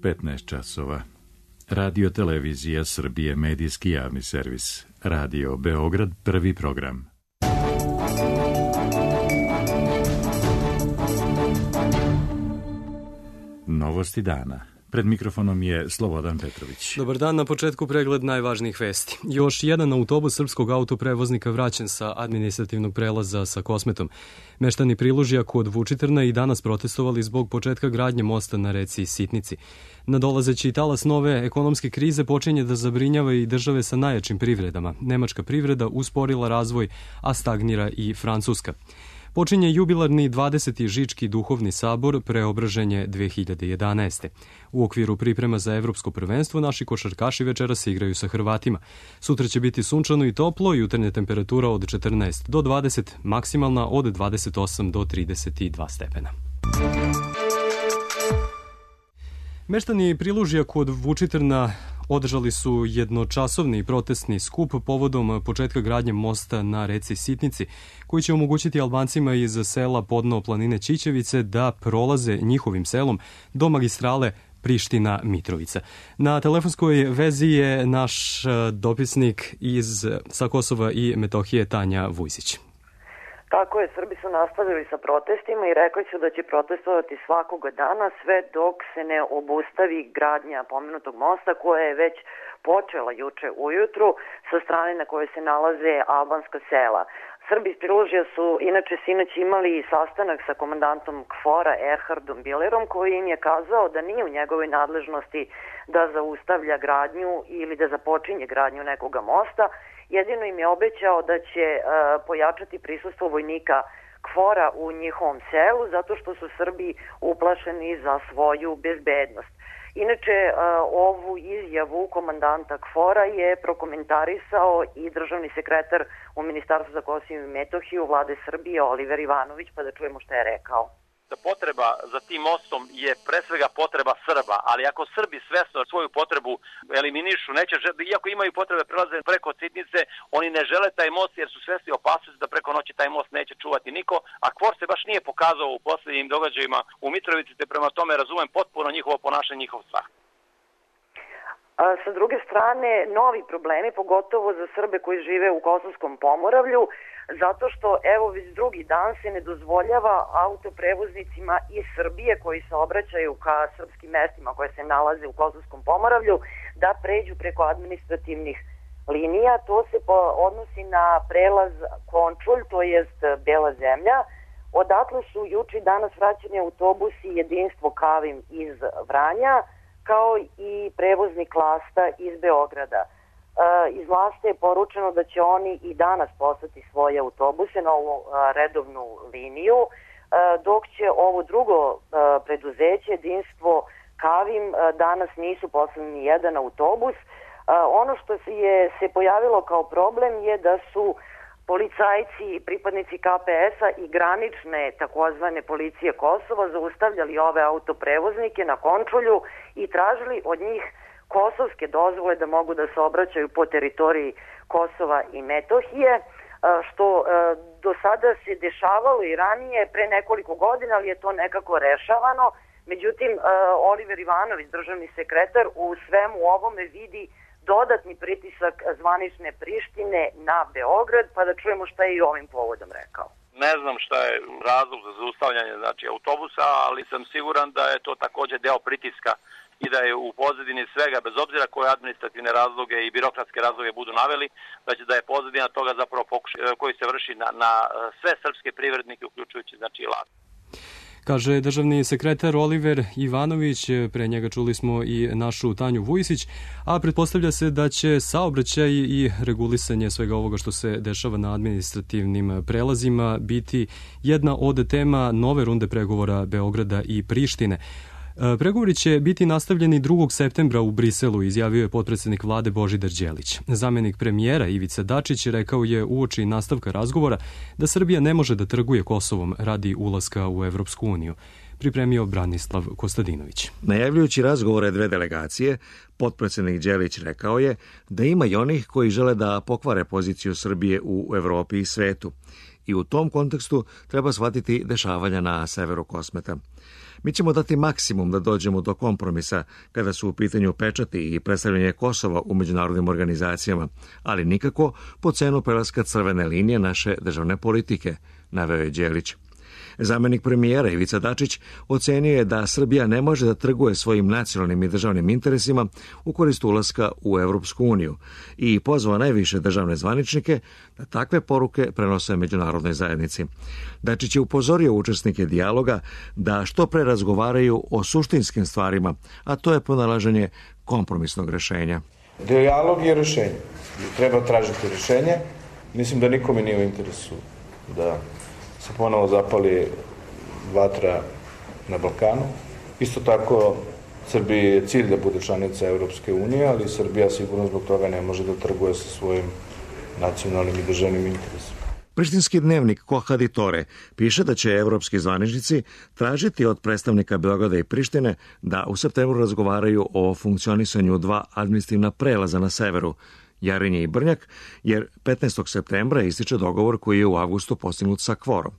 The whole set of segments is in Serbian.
15 časova. Radio Televizija Srbije, medijski javni servis. Radio Beograd, prvi program. Novosti dana. Pred mikrofonom je Slobodan Petrović. Dobar dan, na početku pregled najvažnijih vesti. Još jedan autobus srpskog autoprevoznika vraćen sa administrativnog prelaza sa Kosmetom. Meštani Prilužja kod Vučitrna i danas protestovali zbog početka gradnje mosta na reci Sitnici. Nadolazeći talas nove ekonomske krize počinje da zabrinjava i države sa najjačim privredama. Nemačka privreda usporila razvoj, a stagnira i Francuska. Počinje jubilarni 20. Žički duhovni sabor Preobraženje 2011. U okviru priprema za evropsko prvenstvo naši košarkaši večeras se igraju sa Hrvatima. Sutra će biti sunčano i toplo, jutarnja temperatura od 14 do 20, maksimalna od 28 do 32 stepena. Meštani Prilužja kod Vučitrna održali su jednočasovni protestni skup povodom početka gradnje mosta na reci Sitnici, koji će omogućiti Albancima iz sela podno planine Ćićevice da prolaze njihovim selom do magistrale Priština-Mitrovica. Na telefonskoj vezi je naš dopisnik sa Kosova i Metohije Tanja Vujsić. Tako je, Srbi su nastavili sa protestima i rekli su da će protestovati svakoga dana sve dok se ne obustavi gradnja pomenutog mosta koja je već počela juče ujutru sa strane na kojoj se nalaze albanska sela. Srbi iz Prilužja su inače sinoć imali sastanak sa komandantom KFOR-a Erhardom Bilerom koji im je kazao da nije u njegovoj nadležnosti da zaustavlja gradnju ili da započinje gradnju nekoga mosta. Jedino im je obećao da će pojačati prisustvo vojnika KFOR-a u njihovom selu zato što su Srbi uplašeni za svoju bezbednost. Inače, ovu izjavu komandanta KFOR-a je prokomentarisao i državni sekretar u Ministarstvu za Kosovo i Metohiju Vlade Srbije Oliver Ivanović, pa da čujemo šta je rekao. Potreba za tim mostom je pre svega potreba Srba, ali ako Srbi svesno svoju potrebu eliminišu, iako imaju potrebe prelaze preko Sitnice, oni ne žele taj most jer su svesni opasnosti da preko noći taj most neće čuvati niko, a KFOR se baš nije pokazao u posljednjim događajima u Mitrovici, te prema tome razumem potpuno njihovo ponašanje, njihov strah. Sa druge strane, novi problemi, pogotovo za Srbe koji žive u Kosovskom Pomoravlju, zato što evo već drugi dan se ne dozvoljava autoprevoznicima iz Srbije koji se obraćaju ka srpskim mestima koje se nalaze u Kosovskom Pomoravlju da pređu preko administrativnih linija. To se odnosi na prelaz Končulj, to jest Bela zemlja. Odatle su juče danas vraćeni autobusi Jedinstvo Kavim iz Vranja, kao i prevoznik Lasta iz Beograda. Iz Laste je poručeno da će oni i danas poslati svoje autobuse na ovu redovnu liniju, dok će ovo drugo preduzeće, Jedinstvo Kavim, danas nisu poslali ni jedan autobus. Ono što se pojavilo kao problem je da su policajci, pripadnici KPS-a i granične takozvane policije Kosova zaustavljali ove autoprevoznike na Končulju i tražili od njih kosovske dozvole da mogu da se obraćaju po teritoriji Kosova i Metohije, što do sada se dešavalo i ranije pre nekoliko godina, ali je to nekako rešavano. Međutim, Oliver Ivanović, državni sekretar, u svemu ovome vidi dodatni pritisak zvanične Prištine na Beograd, pa da čujemo šta je i ovim povodom rekao. Ne znam šta je razlog za zaustavljanje autobusa, ali sam siguran da je to također deo pritiska i da je u pozadini svega, bez obzira koje administrativne razloge i birokratske razloge budu naveli, da je pozadina toga zapravo pokušaj koji se vrši na sve srpske privrednike, uključujući i Last. Kaže državni sekretar Oliver Ivanović, pre njega čuli smo i našu Tanju Vujsić, a pretpostavlja se da će saobraćaj i regulisanje svega ovoga što se dešava na administrativnim prelazima biti jedna od tema nove runde pregovora Beograda i Prištine. Pregovori će biti nastavljeni 2. septembra u Briselu, izjavio je potpredsednik vlade Božidar Đelić. Zamenik premijera Ivica Dačić rekao je uoči nastavka razgovora da Srbija ne može da trguje Kosovom radi ulaska u Evropsku uniju. Pripremio Branislav Kostadinović. Najavljujući razgovore dve delegacije, potpredsednik Đelić rekao je da ima i onih koji žele da pokvare poziciju Srbije u Evropi i svetu. i u tom kontekstu treba shvatiti dešavanja na severu Kosmeta. Mi ćemo dati maksimum da dođemo do kompromisa kada su u pitanju pečati i predstavljanje Kosova u međunarodnim organizacijama, ali nikako po cenu prelaska crvene linije naše državne politike, naveo je Đelić. Zamenik premijera Ivica Dačić ocenio je da Srbija ne može da trguje svojim nacionalnim i državnim interesima u korist ulaska u Evropsku uniju i pozvao najviše državne zvaničnike da takve poruke prenose međunarodnoj zajednici. Dačić je upozorio učesnike dijaloga da što pre razgovaraju o suštinskim stvarima, a to je pronalaženje kompromisnog rešenja. Dijalog je rešenje. Treba tražiti rešenje. Mislim da nikome nije u interesu da se ponovo zapali vatra na Balkanu. Isto tako, Srbiji je cilj da bude članica Evropske unije, ali Srbija sigurno zbog toga ne može da trguje sa svojim nacionalnim i državnim interesima. Prištinski dnevnik Kohaditore piše da će evropski zvaničnici tražiti od predstavnika Beograda i Prištine da u septembru razgovaraju o funkcionisanju dva administrativna prelaza na severu, Jarinje i Brnjak, jer 15. septembra ističe dogovor koji je u avgustu postignut sa Kvorom.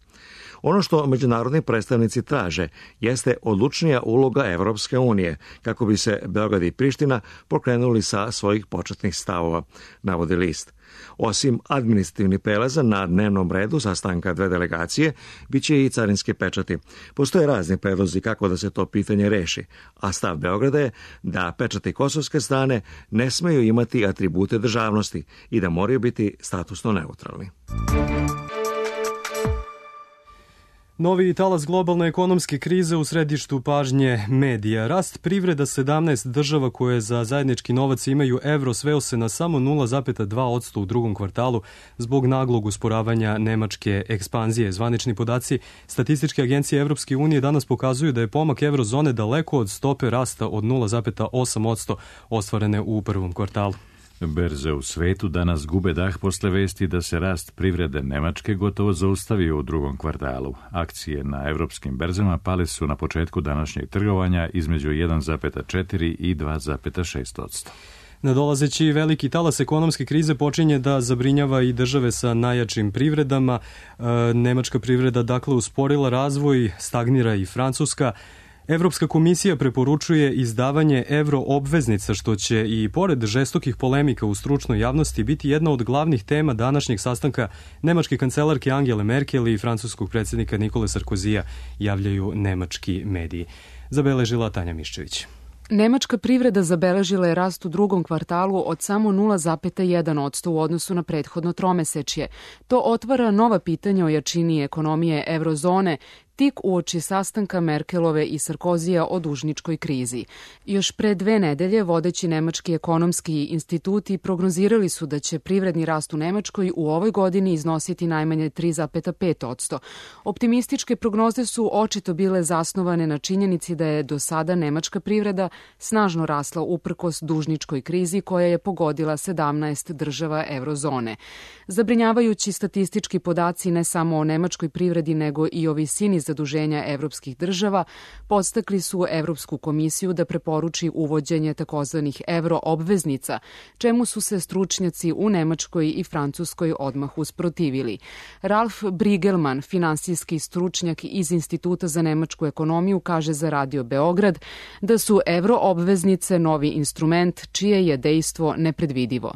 Ono što međunarodni predstavnici traže jeste odlučnija uloga Evropske unije kako bi se Beograd i Priština pokrenuli sa svojih početnih stavova, navodi list. Osim administrativnih prelaza na dnevnom redu sastanka dve delegacije, bit će i carinski pečati. Postoje razni predlozi kako da se to pitanje reši, a stav Beograda je da pečati kosovske strane ne smeju imati atribute državnosti i da moraju biti statusno neutralni. Novi talas globalne ekonomske krize u središtu pažnje medija. Rast privreda 17 država koje za zajednički novac imaju evro sveo se na samo 0,2% u drugom kvartalu zbog naglog usporavanja nemačke ekspanzije. Zvanični podaci Statističke agencije Evropske unije danas pokazuju da je pomak evrozone daleko od stope rasta od 0,8% ostvarene u prvom kvartalu. Berze u svetu danas gube dah posle vesti da se rast privrede Nemačke gotovo zaustavio u drugom kvartalu. Akcije na evropskim berzama pale su na početku današnjeg trgovanja između 1,4 i 2,6%. Nadolazeći veliki talas ekonomske krize počinje da zabrinjava i države sa najjačim privredama. Nemačka privreda dakle usporila razvoj, stagnira i Francuska. Evropska komisija preporučuje izdavanje evro obveznica, što će i pored žestokih polemika u stručnoj javnosti biti jedna od glavnih tema današnjeg sastanka nemačke kancelarke Angele Merkel i francuskog predsjednika Nikole Sarkozija, javljaju nemački mediji. Zabeležila Tanja Miščević. Nemačka privreda zabeležila je rast u drugom kvartalu od samo 0,1% u odnosu na prethodno tromesečje. To otvara nova pitanja o jačini ekonomije evrozone, tik uoči sastanka Merkelove i Sarkozija o dužničkoj krizi. Još pre 2 nedelje vodeći nemački ekonomski instituti prognozirali su da će privredni rast u Nemačkoj u ovoj godini iznositi najmanje 3,5%. Optimističke prognoze su očito bile zasnovane na činjenici da je do sada nemačka privreda snažno rasla uprkos dužničkoj krizi koja je pogodila 17 država evrozone. Zabrinjavajući statistički podaci ne samo o nemačkoj privredi nego i o visini zaduženja evropskih država podstakli su Evropsku komisiju da preporuči uvođenje takozvanih evro obveznica, čemu su se stručnjaci u Nemačkoj i Francuskoj odmah usprotivili. Ralf Brigelman, finansijski stručnjak iz Instituta za nemačku ekonomiju, kaže za Radio Beograd da su evro obveznice novi instrument čije je dejstvo nepredvidivo.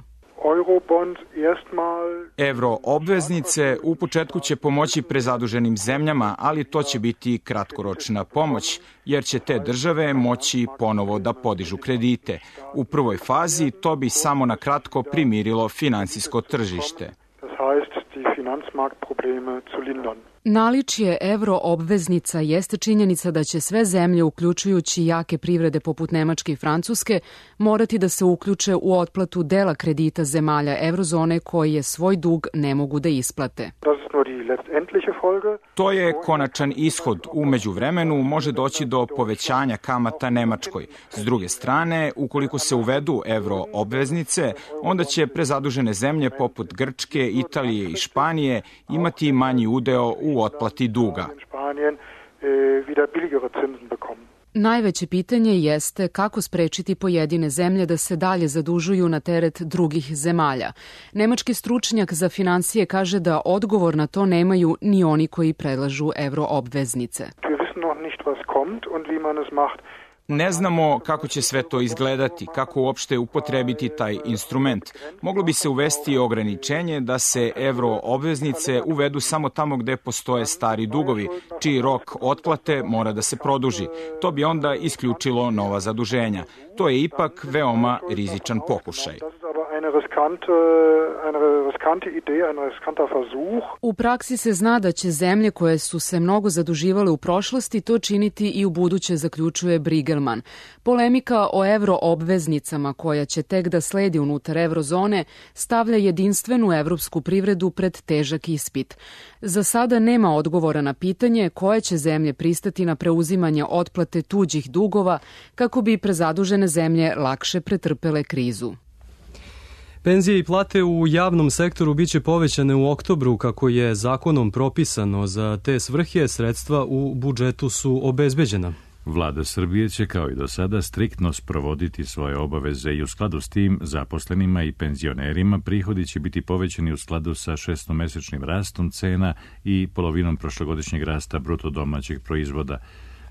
Evro obveznice u početku će pomoći prezaduženim zemljama, ali to će biti kratkoročna pomoć, jer će te države moći ponovo da podižu kredite. U prvoj fazi to bi samo na kratko primirilo finansijsko tržište. Naličje evro obveznica jeste činjenica da će sve zemlje, uključujući jake privrede poput Nemačke i Francuske, morati da se uključe u otplatu dela kredita zemalja evrozone koje svoj dug ne mogu da isplate. To je konačan ishod. U međuvremenu može doći do povećanja kamata Nemačkoj. S druge strane, ukoliko se uvedu evro obveznice, onda će prezadužene zemlje poput Grčke, Italije i Španije imati manji udeo u otplati duga. Najveće pitanje jeste kako sprečiti pojedine zemlje da se dalje zadužuju na teret drugih zemalja. Nemački stručnjak za finansije kaže da odgovor na to nemaju ni oni koji predlažu euroobveznice. Ne znamo kako će sve to izgledati, kako uopšte upotrebiti taj instrument. Moglo bi se uvesti ograničenje da se euroobveznice uvedu samo tamo gde postoje stari dugovi, čiji rok otplate mora da se produži. To bi onda isključilo nova zaduženja. To je ipak veoma rizičan pokušaj. U praksi se zna da će zemlje koje su se mnogo zaduživale u prošlosti to činiti i u buduće, zaključuje Brigelman. Polemika o euroobveznicama koja će tek da sledi unutar eurozone stavlja jedinstvenu evropsku privredu pred težak ispit. Za sada nema odgovora na pitanje koje će zemlje pristati na preuzimanje otplate tuđih dugova kako bi prezadužene zemlje lakše pretrpele krizu. Penzije i plate u javnom sektoru biće povećane u oktobru kako je zakonom propisano. Za te svrhe sredstva u budžetu su obezbeđena. Vlada Srbije će kao i do sada striktno sprovoditi svoje obaveze i u skladu s tim zaposlenima i penzionerima prihodi će biti povećani u skladu sa šestomesečnim rastom cena i polovinom prošlogodišnjeg rasta bruto domaćeg proizvoda,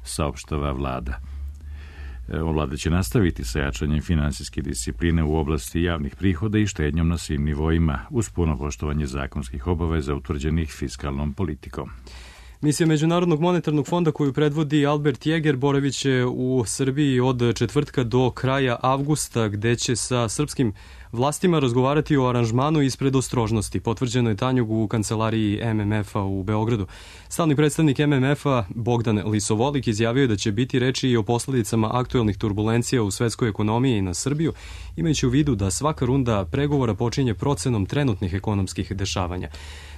saopštava vlada. Vlada će nastaviti sa jačanjem finansijske discipline u oblasti javnih prihoda i štednjom na svim nivoima, uz puno poštovanje zakonskih obaveza utvrđenih fiskalnom politikom. Misija Međunarodnog monetarnog fonda koju predvodi Albert Jäger boraviće u Srbiji od četvrtka do kraja avgusta, gde će sa srpskim vlastima razgovarati o aranžmanu iz predostrožnosti. Potvrđeno je Tanjug u kancelariji MMF-a u Beogradu. Stalni predstavnik MMF-a Bogdan Lisovolik izjavio je da će biti reči i o posledicama aktuelnih turbulencija u svetskoj ekonomiji i na Srbiju, imajući u vidu da svaka runda pregovora počinje procenom trenutnih ekonomskih dešavanja.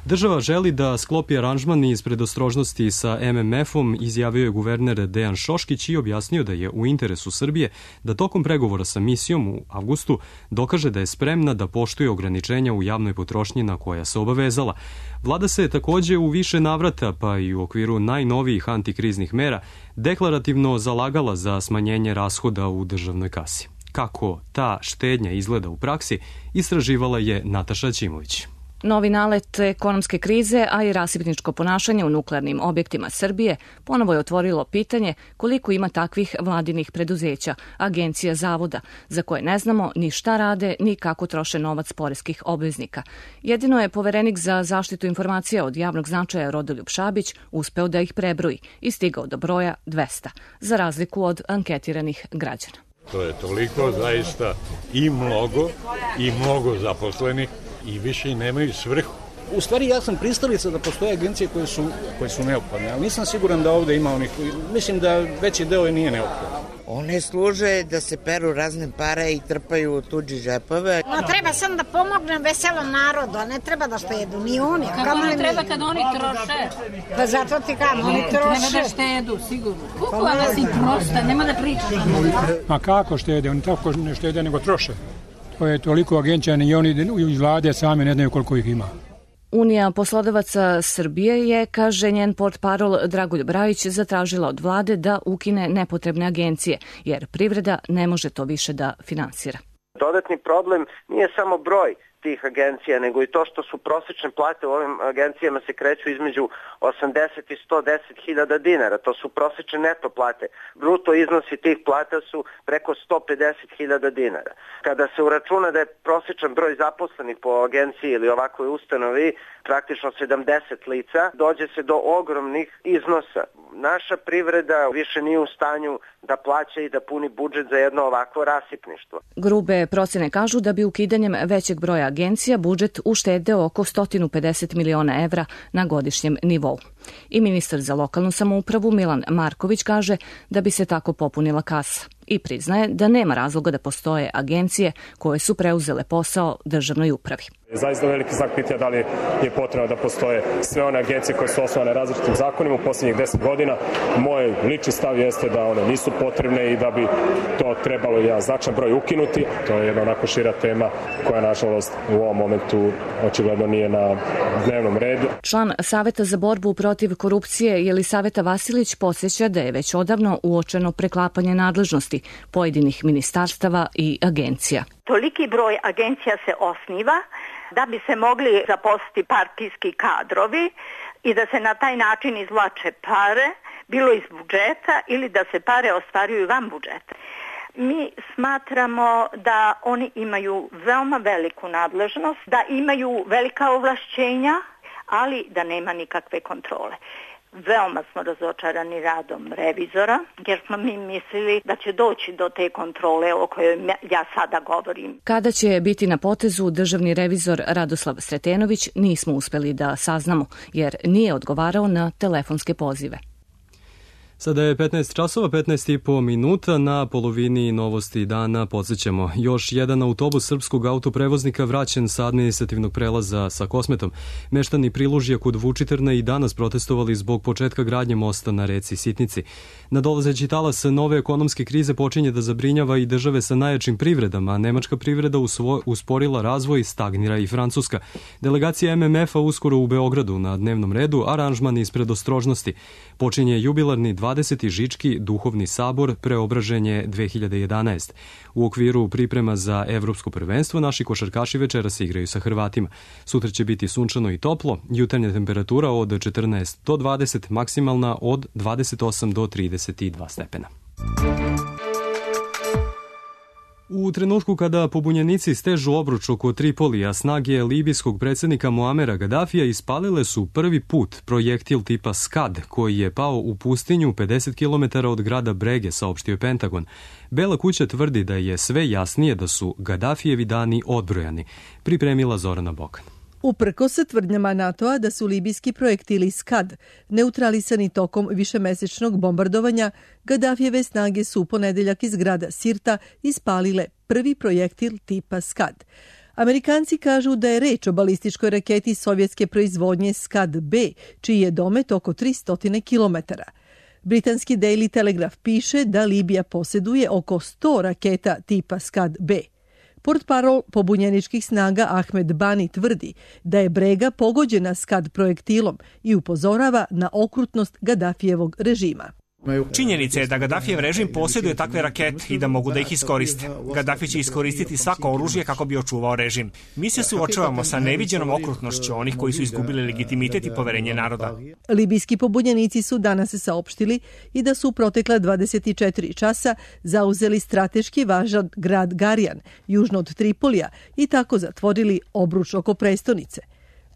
Država želi da sklopi aranžman iz predostrožnosti sa MMF-om, izjavio je guverner Dejan Šoškić i objasnio da je u interesu Srbije da tokom pregovora sa misijom u avgustu dokaže da je spremna da poštuje ograničenja u javnoj potrošnji na koja se obavezala. Vlada se takođe u više navrata, pa i u okviru najnovijih antikriznih mera, deklarativno zalagala za smanjenje rashoda u državnoj kasi. Kako ta štednja izgleda u praksi, istraživala je Nataša Ćimović. Novi nalet ekonomske krize, a i rasipničko ponašanje u nuklearnim objektima Srbije ponovo je otvorilo pitanje koliko ima takvih vladinih preduzeća, agencija, zavoda, za koje ne znamo ni šta rade, ni kako troše novac poreskih obveznika. Jedino je poverenik za zaštitu informacija od javnog značaja Rodoljub Šabić uspeo da ih prebroji i stigao do broja 200, za razliku od anketiranih građana. To je toliko zaista i mnogo zaposlenih i više i nemaju svrhu. U stvari ja sam pristalica da postoje agencije koje su neophodne, ali nisam siguran da ovde ima onih, mislim da veći deo nije neophodan. One služe da se peru razne pare i trpaju u tuđi žepove. No, treba sam da pomognem veselom narodu, a ne treba da štedu, ni oni. Kako ne treba kad oni troše? Pa zato ti kam, oni troše. Nema da štedu, sigurno. Kukova si prosta, nema da pričaš. Ma kako štede, oni tako ne štede nego troše. To je toliko agencija i oni iz vlade sami ne znaju koliko ih ima. Unija poslodavaca Srbije je, kaže njen portparol Dragoljub Rajić, zatražila od vlade da ukine nepotrebne agencije, jer privreda ne može to više da finansira. Dodatni problem nije samo broj tih agencija, nego i to što su prosečne plate u ovim agencijama se kreću između 80 i 110 hiljada dinara. To su prosečne neto plate. Bruto iznosi tih plata su preko 150 hiljada dinara. Kada se uračuna da je prosečan broj zaposlenih po agenciji ili ovakvoj ustanovi praktično 70 lica, dođe se do ogromnih iznosa. Naša privreda više nije u stanju da plaća i da puni budžet za jedno ovakvo rasipništvo. Grube procene kažu da bi ukidanjem većeg broja agencija budžet uštedeo oko 150 miliona evra na godišnjem nivou. I ministar za lokalnu samoupravu Milan Marković kaže da bi se tako popunila kasa. i priznaje da nema razloga da postoje agencije koje su preuzele posao državnoj upravi. Zaista veliki znak pitanja da li je potrebno da postoje sve one agencije koje su osnovane različitim zakonima u posljednjih 10 godina. Moj lični stav jeste da one nisu potrebne i da bi to trebalo jedan značajan broj ukinuti. To je jedna onako šira tema koja nažalost u ovom momentu očigledno nije na dnevnom redu. Član Saveta za borbu protiv korupcije Jelisaveta Vasilić podsjeća da je već odavno uočeno preklapanje nadležnosti pojedinih ministarstava i agencija. Toliki broj agencija se osniva da bi se mogli zaposliti partijski kadrovi i da se na taj način izvlače pare, bilo iz budžeta ili da se pare ostvaruju van budžeta. Mi smatramo da oni imaju veoma veliku nadležnost, da imaju velika ovlašćenja, ali da nema nikakve kontrole. Veoma smo razočarani radom revizora, jer smo mi mislili da će doći do te kontrole o kojoj ja sada govorim. Kada će biti na potezu državni revizor Radoslav Sretenović, nismo uspeli da saznamo, jer nije odgovarao na telefonske pozive. Sada je 15 časova, 15,5 minuta, na polovini novosti dana podsjećamo. Još jedan autobus srpskog autoprevoznika vraćen sa administrativnog prelaza sa Kosmetom. Meštani Prilužja kod Vučitrna i danas protestovali zbog početka gradnje mosta na reci Sitnici. Nadolazeći talas nove ekonomske krize počinje da zabrinjava i države sa najjačim privredama, a nemačka privreda usporila razvoj, stagnira i Francuska. Delegacija MMF-a uskoro u Beogradu na dnevnom redu, aranžman iz predostrožnosti. Počinje jubilarni 20. Žički duhovni sabor Preobraženje 2011. U okviru priprema za evropsko prvenstvo naši košarkaši večeras igraju sa Hrvatima. Sutra će biti sunčano i toplo, jutarnja temperatura od 14 do 20, maksimalna od 28 do 32 stepena. U trenutku kada pobunjenici stežu obruč oko Tripolija, snage libijskog predsjednika Muamera Gadafija ispalile su prvi put projektil tipa Scad, koji je pao u pustinju 50 km od grada Brege, saopštio Pentagon. Bela kuća tvrdi da je sve jasnije da su Gadafijevi dani odbrojani. Pripremila Zorana Bokan. Uprkos tvrdnjama NATO-a da su libijski projektili Scad neutralisani tokom višemesečnog bombardovanja, Gadafijeve snage su u ponedeljak iz grada Sirta ispalile prvi projektil tipa Scad. Amerikanci kažu da je reč o balističkoj raketi sovjetske proizvodnje Scad-B, čiji je domet oko 300 km. Britanski Daily Telegraph piše da Libija posjeduje oko 100 raketa tipa Scad-B. Portparol pobunjeničkih snaga Ahmed Bani tvrdi da je Brega pogođena Scad projektilom i upozorava na okrutnost Gadafijevog režima. Činjenica je da Gadafijev režim posjeduje takve rakete i da mogu da ih iskoriste. Gadafi će iskoristiti svako oružje kako bi očuvao režim. Mi se suočavamo sa neviđenom okrutnošću onih koji su izgubili legitimitet i poverenje naroda. Libijski pobunjenici su danas saopštili i da su u protekla 24 časa zauzeli strateški važan grad Garijan, južno od Tripolija, i tako zatvorili obruč oko prestonice.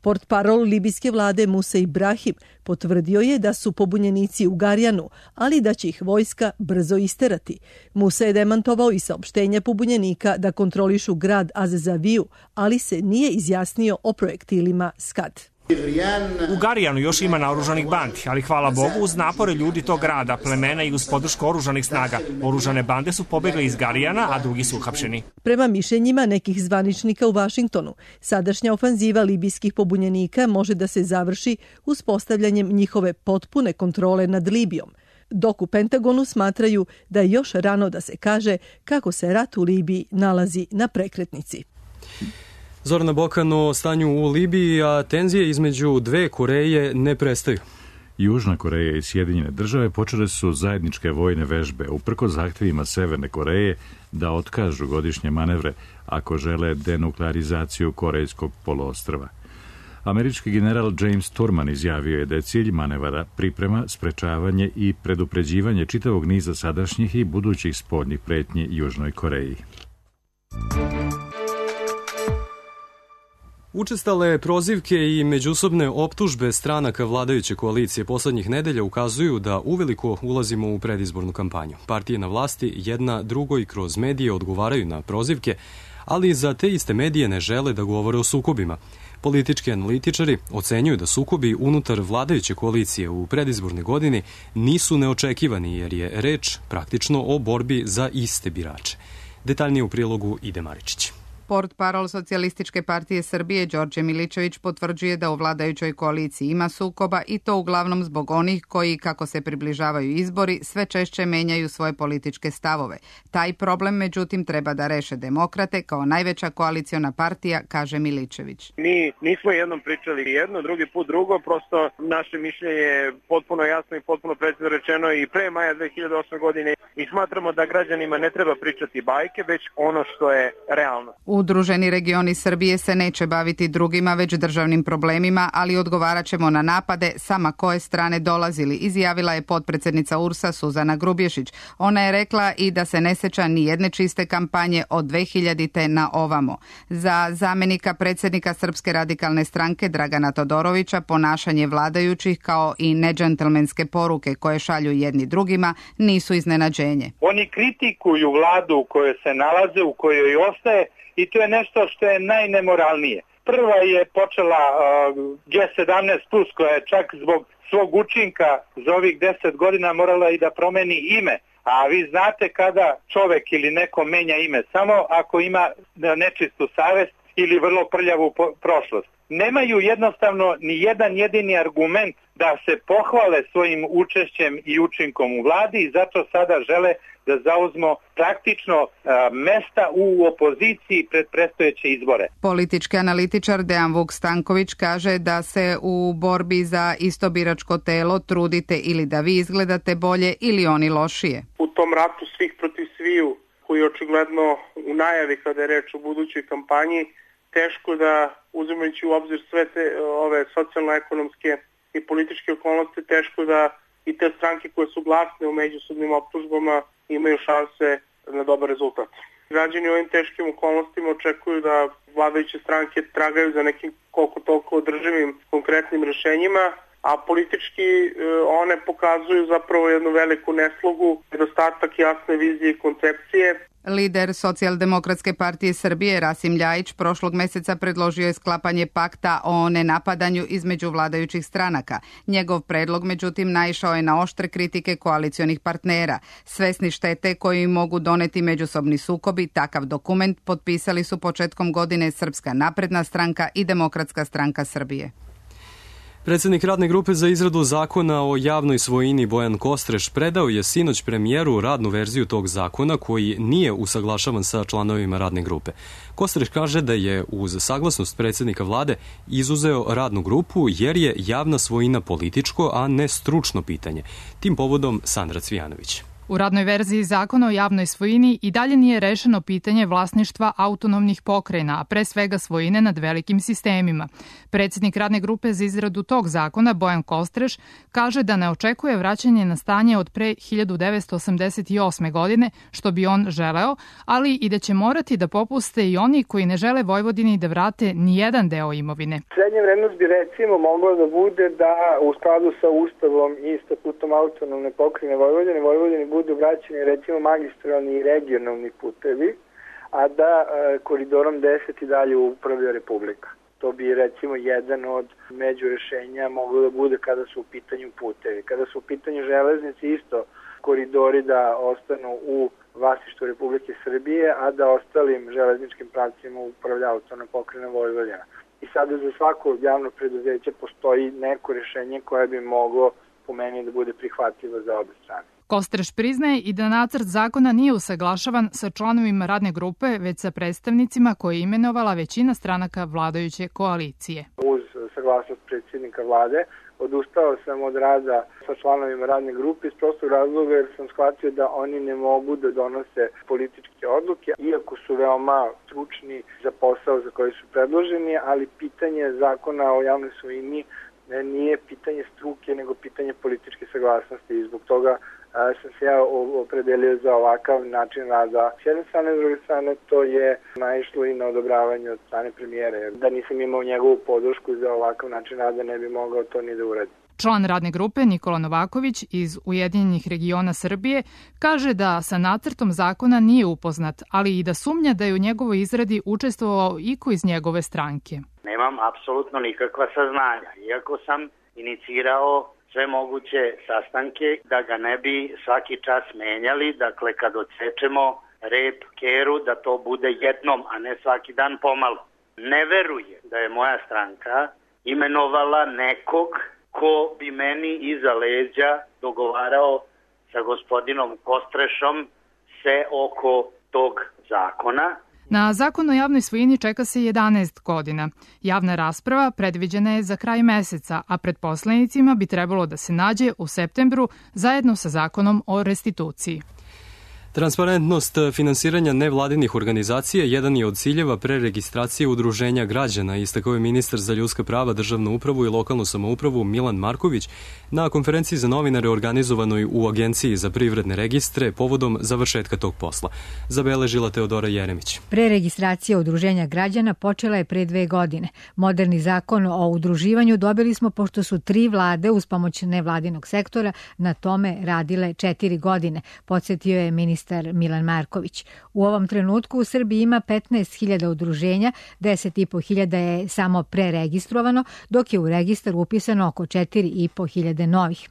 Portparol libijske vlade Musa Ibrahim potvrdio je da su pobunjenici u Garijanu, ali da će ih vojska brzo isterati. Musa je demantovao i saopštenje pobunjenika da kontrolišu grad Azezaviju, ali se nije izjasnio o projektilima Scad. U Garijanu još ima naoružanih bandi, ali hvala Bogu uz napore ljudi tog grada, plemena i uz podršku oružanih snaga. Oružane bande su pobegli iz Garijana, a drugi su uhapšeni. Prema mišljenjima nekih zvaničnika u Vašingtonu, sadašnja ofanziva libijskih pobunjenika može da se završi uspostavljanjem njihove potpune kontrole nad Libijom, dok u Pentagonu smatraju da je još rano da se kaže kako se rat u Libiji nalazi na prekretnici. Zorana Bokan o stanju u Libiji, a tenzije između dve Koreje ne prestaju. Južna Koreja i Sjedinjene države počele su zajedničke vojne vežbe uprkos zahtjevima Severne Koreje da otkažu godišnje manevre ako žele denuklearizaciju Korejskog poluostrva. Američki general James Turman izjavio je da je cilj manevara priprema, sprečavanje i predupređivanje čitavog niza sadašnjih i budućih spoljnih pretnji Južnoj Koreji. Učestale prozivke i međusobne optužbe stranaka vladajuće koalicije poslednjih nedelja ukazuju da uveliko ulazimo u predizbornu kampanju. Partije na vlasti jedna drugoj kroz medije odgovaraju na prozivke, ali za te iste medije ne žele da govore o sukobima. Politički analitičari ocenjuju da sukobi unutar vladajuće koalicije u predizbornoj godini nisu neočekivani jer je reč praktično o borbi za iste birače. Detaljnije u prilogu Ide Maričić. Portparol Socijalističke partije Srbije Đorđe Milićević potvrđuje da u vladajućoj koaliciji ima sukoba i to uglavnom zbog onih koji, kako se približavaju izbori, sve češće menjaju svoje političke stavove. Taj problem, međutim, treba da reše demokrate kao najveća koaliciona partija, kaže Milićević. Mi nismo jednom pričali jedno, drugi put drugo, prosto naše mišljenje je potpuno jasno i potpuno precizno rečeno i pre maja 2008. godine i smatramo da građanima ne treba pričati bajke, već ono što je realno. Udruženi regioni Srbije se neće baviti drugima, već državnim problemima, ali odgovarat ćemo na napade sama koje strane dolazili, izjavila je potpredsednica URS-a Suzana Grubješić. Ona je rekla i da se ne seća ni jedne čiste kampanje od 2000. na ovamo. Za zamenika predsjednika Srpske radikalne stranke Dragana Todorovića ponašanje vladajućih kao i nedžentlmenske poruke koje šalju jedni drugima nisu iznenađenje. Oni kritikuju vladu u kojoj se nalaze, u kojoj ostaje, i to je nešto što je najnemoralnije. Prva je počela G17+, koja je čak zbog svog učinka za ovih 10 godina morala i da promeni ime. A vi znate kada čovek ili neko menja ime, samo ako ima nečistu savest ili vrlo prljavu prošlost. Nemaju jednostavno ni jedan jedini argument da se pohvale svojim učešćem i učinkom u vladi i zato sada žele da zauzmu praktično mesta u opoziciji pred predstojeće izbore. Politički analitičar Dejan Vuk Stanković kaže da se u borbi za isto biračko telo trudite ili da vi izgledate bolje ili oni lošije. U tom ratu svih protiv sviju, koji je očigledno u najavi kada je reč o budućoj kampanji, teško da, uzimajući u obzir sve te ove socijalno-ekonomske i političke okolnosti, teško da i te stranke koje su glasne u međusobnim optužbama imaju šanse na dobar rezultat. Građani u ovim teškim okolnostima očekuju da vladajuće stranke tragaju za nekim koliko toliko održivim konkretnim rešenjima, a politički one pokazuju zapravo jednu veliku neslogu, nedostatak jasne vizije i koncepcije. Lider Socijaldemokratske partije Srbije Rasim Ljajić prošlog meseca predložio je sklapanje pakta o nenapadanju između vladajućih stranaka. Njegov predlog, međutim, naišao je na oštre kritike koalicionih partnera. Svesni štete koji mogu doneti međusobni sukobi, takav dokument potpisali su početkom godine Srpska napredna stranka i Demokratska stranka Srbije. Predsjednik radne grupe za izradu zakona o javnoj svojini Bojan Kostreš predao je sinoć premijeru radnu verziju tog zakona koji nije usaglašavan sa članovima radne grupe. Kostreš kaže da je uz saglasnost predsjednika vlade izuzeo radnu grupu jer je javna svojina političko, a ne stručno pitanje. Tim povodom Sandra Cvijanović. U radnoj verziji zakona o javnoj svojini i dalje nije rešeno pitanje vlasništva autonomnih pokrajina, a pre svega svojine nad velikim sistemima. Predsjednik radne grupe za izradu tog zakona, Bojan Kostreš, kaže da ne očekuje vraćanje na stanje od pre 1988. godine, što bi on želeo, ali i da će morati da popuste i oni koji ne žele Vojvodini da vrate ni jedan deo imovine. Srednja vrednost bi recimo mogla da bude da u skladu sa Ustavom i statutom autonomne pokrajine Vojvodini budu vraćeni recimo magistralni i regionalni putevi, a da koridorom 10 i dalje upravlja Republika. To bi recimo jedan od međurešenja moglo da bude kada su u pitanju putevi. Kada su u pitanju železnice isto koridori da ostanu u vlasništvu Republike Srbije, a da ostalim železničkim pravcima upravlja autonomna pokrajina Vojvodina. I sada za svako javno preduzeće postoji neko rešenje koje bi moglo po meni da bude prihvatljivo za obe strane. Kostreš priznaje i da nacrt zakona nije usaglašavan sa članovima radne grupe, već sa predstavnicima koje je imenovala većina stranaka vladajuće koalicije. Uz saglasnost predsjednika vlade odustao sam od rada sa članovima radne grupe iz prostog razloga jer sam shvatio da oni ne mogu da donose političke odluke, iako su veoma stručni za posao za koji su predloženi, ali pitanje zakona o javnoj svojini nije pitanje struke, nego pitanje političke saglasnosti i zbog toga sam se ja opredelio za ovakav način rada. S jedne strane, s druge strane, to je naišlo i na odobravanje od strane premijera. Da nisam imao njegovu podršku za ovakav način rada, ne bi mogao to ni da uradim. Član radne grupe Nikola Novaković iz Ujedinjenih regiona Srbije kaže da sa nacrtom zakona nije upoznat, ali i da sumnja da je u njegovoj izradi učestvovao iko iz njegove stranke. Nemam apsolutno nikakva saznanja, iako sam inicirao sve moguće sastanke da ga ne bi svaki čas menjali, dakle kad odsečemo rep, keru, da to bude jednom, a ne svaki dan pomalo. Ne verujem da je moja stranka imenovala nekog ko bi meni iza leđa dogovarao sa gospodinom Kostrešom se oko tog zakona. Na zakon o javnoj svojini čeka se 11 godina. Javna rasprava predviđena je za kraj meseca, a pred poslanicima bi trebalo da se nađe u septembru zajedno sa zakonom o restituciji. Transparentnost finansiranja nevladinih organizacija jedan je od ciljeva preregistracije udruženja građana, istakao je ministar za ljudska prava, državnu upravu i lokalnu samoupravu Milan Marković na konferenciji za novinare organizovanoj u Agenciji za privredne registre povodom završetka tog posla. Zabeležila Teodora Jeremić. Preregistracija udruženja građana počela je pre 2 godine. Moderni zakon o udruživanju dobili smo pošto su 3 vlade uz pomoć nevladinog sektora na tome radile 4 godine, podsjetio je ministar Milan Marković. U ovom trenutku u Srbiji ima 15.000 udruženja, 10.500 je samo preregistrovano, dok je u registar upisano oko 4.500 novih.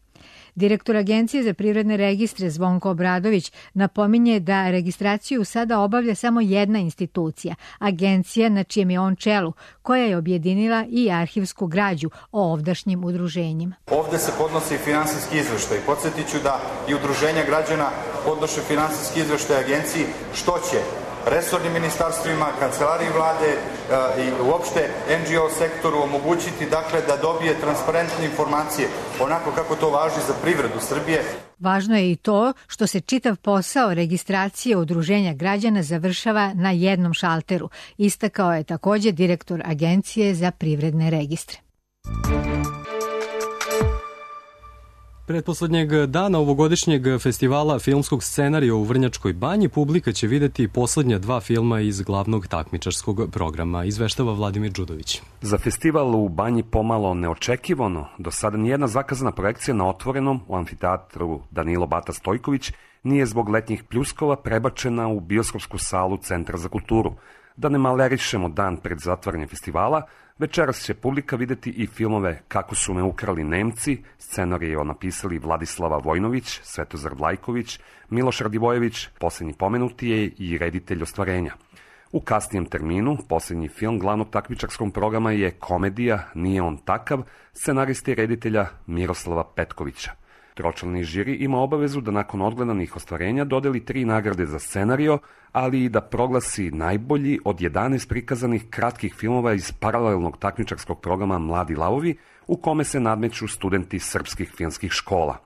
Direktor Agencije za privredne registre Zvonko Obradović napominje da registraciju sada obavlja samo jedna institucija, agencija na čijem je on čelu, koja je objedinila i arhivsku građu o ovdašnjim udruženjima. Ovde se podnosi finansijski izveštaj. Podsjetit ću da i udruženja građana podnoše finansijski izveštaj agenciji, što će resornim ministarstvima, kancelariji vlade i uopšte NGO sektoru omogućiti dakle da dobije transparentne informacije onako kako to važi za privredu Srbije. Važno je i to što se čitav posao registracije udruženja građana završava na jednom šalteru, istakao je takođe direktor Agencije za privredne registre. Pretposlednjeg dana ovogodišnjeg festivala filmskog scenarija u Vrnjačkoj banji publika će videti poslednja 2 filma iz glavnog takmičarskog programa, izveštava Vladimir Đudović. Za festival u banji pomalo neočekivano, do sada nijedna zakazana projekcija na otvorenom u amfiteatru Danilo Bata Stojković nije zbog letnjih pljuskova prebačena u bioskopsku salu Centra za kulturu. Da ne malerišemo dan pred zatvaranje festivala, večeras će publika videti i filmove Kako su me ukrali Nemci, scenarije napisali Vladislava Vojnović, Svetozar Vlajković, Miloš Radivojević, poslednji pomenuti je i reditelj Ostvarenja. U kasnijem terminu, poslednji film glavnog takmičarskog programa je komedija Nije on takav, scenariste i reditelja Miroslava Petkovića. Tročlani žiri ima obavezu da nakon odgledanih ostvarenja dodeli 3 nagrade za scenario, ali i da proglasi najbolji od 11 prikazanih kratkih filmova iz paralelnog takmičarskog programa Mladi lavovi, u kome se nadmeću studenti srpskih filmskih škola.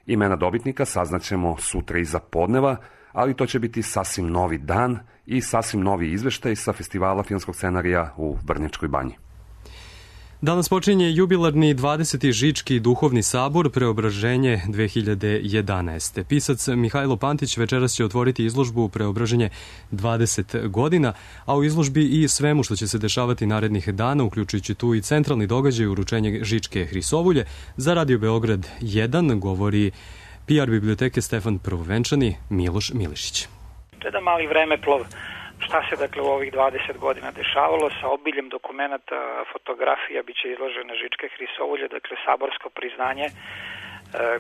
Imena dobitnika saznaćemo sutra iza podneva, ali to će biti sasvim novi dan i sasvim novi izveštaj sa festivala filmskog scenarija u Vrnjačkoj banji. Danas počinje jubilarni 20. Žički duhovni sabor Preobraženje 2011. Pisac Mihajlo Pantić večeras će otvoriti izložbu Preobraženje 20 godina, a u izložbi i svemu što će se dešavati narednih dana, uključujući tu i centralni događaj uručenja Žičke hrisovulje. Za Radio Beograd 1 govori PR biblioteke Stefan Prvovenčani Miloš Milišić. To je da mali vremeplov šta se dakle u ovih 20 godina dešavalo sa obiljem dokumenata, fotografija, bit će izložene Žičke hrisovulje, dakle saborsko priznanje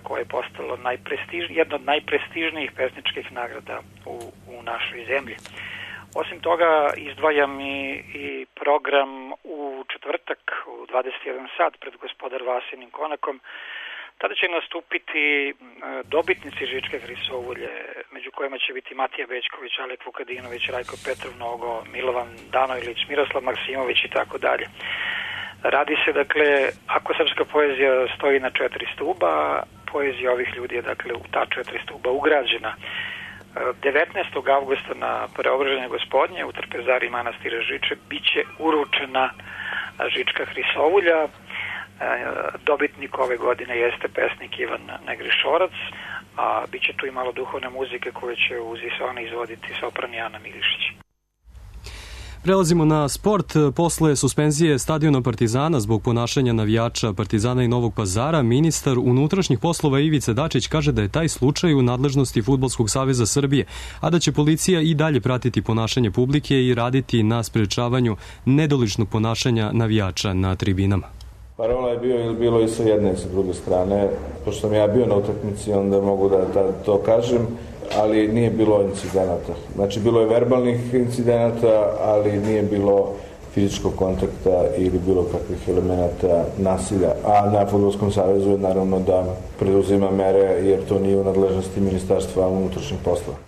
koje je postalo jedno od najprestižnijih pesničkih nagrada u našoj zemlji. Osim toga izdvajam i program u četvrtak u 21 sat pred Gospodar Vasinim konakom. Tada će nastupiti dobitnici Žičke hrisovulje, među kojima će biti Matija Bećković, Alek Vukadinović, Rajko Petrov Nogo, Milovan Danojlić, Miroslav Maksimović i tako dalje. Radi se, dakle, ako srpska poezija stoji na 4 stuba, poezija ovih ljudi je, dakle, u ta 4 stuba ugrađena. 19. avgusta na Preobraženje gospodnje u Trpezari manastira Žiče biće uručena Žička hrisovulja. Dobitnik ove godine jeste pesnik Ivan Negrišorac, a bit će tu i malo duhovne muzike koje će uz Isona izvoditi sopran Jana Milišić. Prelazimo na sport. Posle suspenzije stadiona Partizana zbog ponašanja navijača Partizana i Novog Pazara, ministar unutrašnjih poslova Ivica Dačić kaže da je taj slučaj u nadležnosti Fudbalskog saveza Srbije, a da će policija i dalje pratiti ponašanje publike i raditi na sprečavanju nedoličnog ponašanja navijača na tribinama. Parola je bilo i sa jedne i sa druge strane. Pošto sam ja bio na utakmici, onda mogu da to kažem, ali nije bilo incidenata. Znači, bilo je verbalnih incidenata, ali nije bilo fizičkog kontakta ili bilo kakvih elemenata nasilja. A na Fudbalskom savezu je naravno da preduzima mere, jer to nije u nadležnosti Ministarstva unutrašnjih poslova.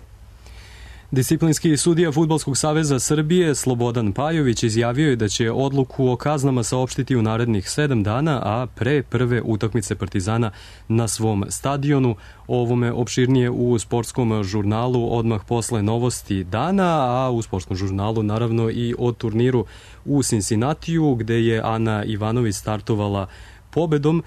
Disciplinski sudija Fudbalskog saveza Srbije Slobodan Pajović izjavio je da će odluku o kaznama saopštiti u narednih 7 dana, a pre prve utakmice Partizana na svom stadionu. O ovome opširnije u sportskom žurnalu odmah posle novosti dana, a u sportskom žurnalu naravno i o turniru u Cincinnatiju, gde je Ana Ivanović startovala pobedom,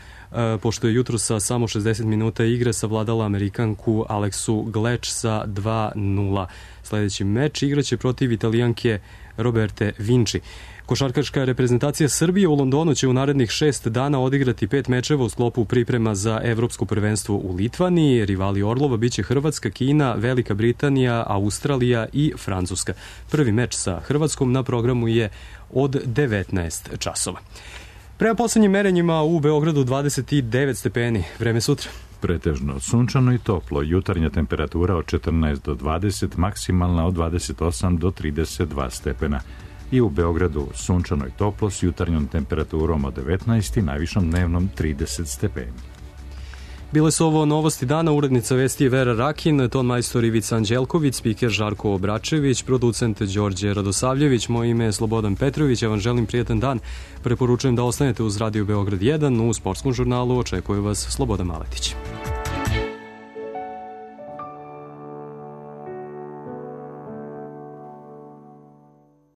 pošto je jutro sa samo 60 minuta igre savladala Amerikanku Aleksu Gleč sa 2-0. Sledeći meč igraće protiv Italijanke Roberte Vinci. Košarkaška reprezentacija Srbije u Londonu će u narednih 6 dana odigrati 5 mečeva u sklopu priprema za Evropsko prvenstvo u Litvaniji. Rivali Orlova biće Hrvatska, Kina, Velika Britanija, Australija i Francuska. Prvi meč sa Hrvatskom na programu je od 19 časova. Prema poslednjim merenjima u Beogradu 29 stepeni. Vreme sutra. Pretežno sunčano i toplo. Jutarnja temperatura od 14 do 20, maksimalna od 28 do 32 stepena. I u Beogradu sunčano i toplo s jutarnjom temperaturom od 19 i najvišom dnevnom 30 stepeni. Bile su ovo novosti dana, urednica vesti je Vera Rakin, ton majstor Ivica Anđelković, spiker Žarko Obračević, producent Đorđe Radosavljević, moje ime je Slobodan Petrović, ja vam želim prijetan dan. Preporučujem da ostanete uz Radio Beograd 1, u sportskom žurnalu očekuje vas Slobodan Maletić.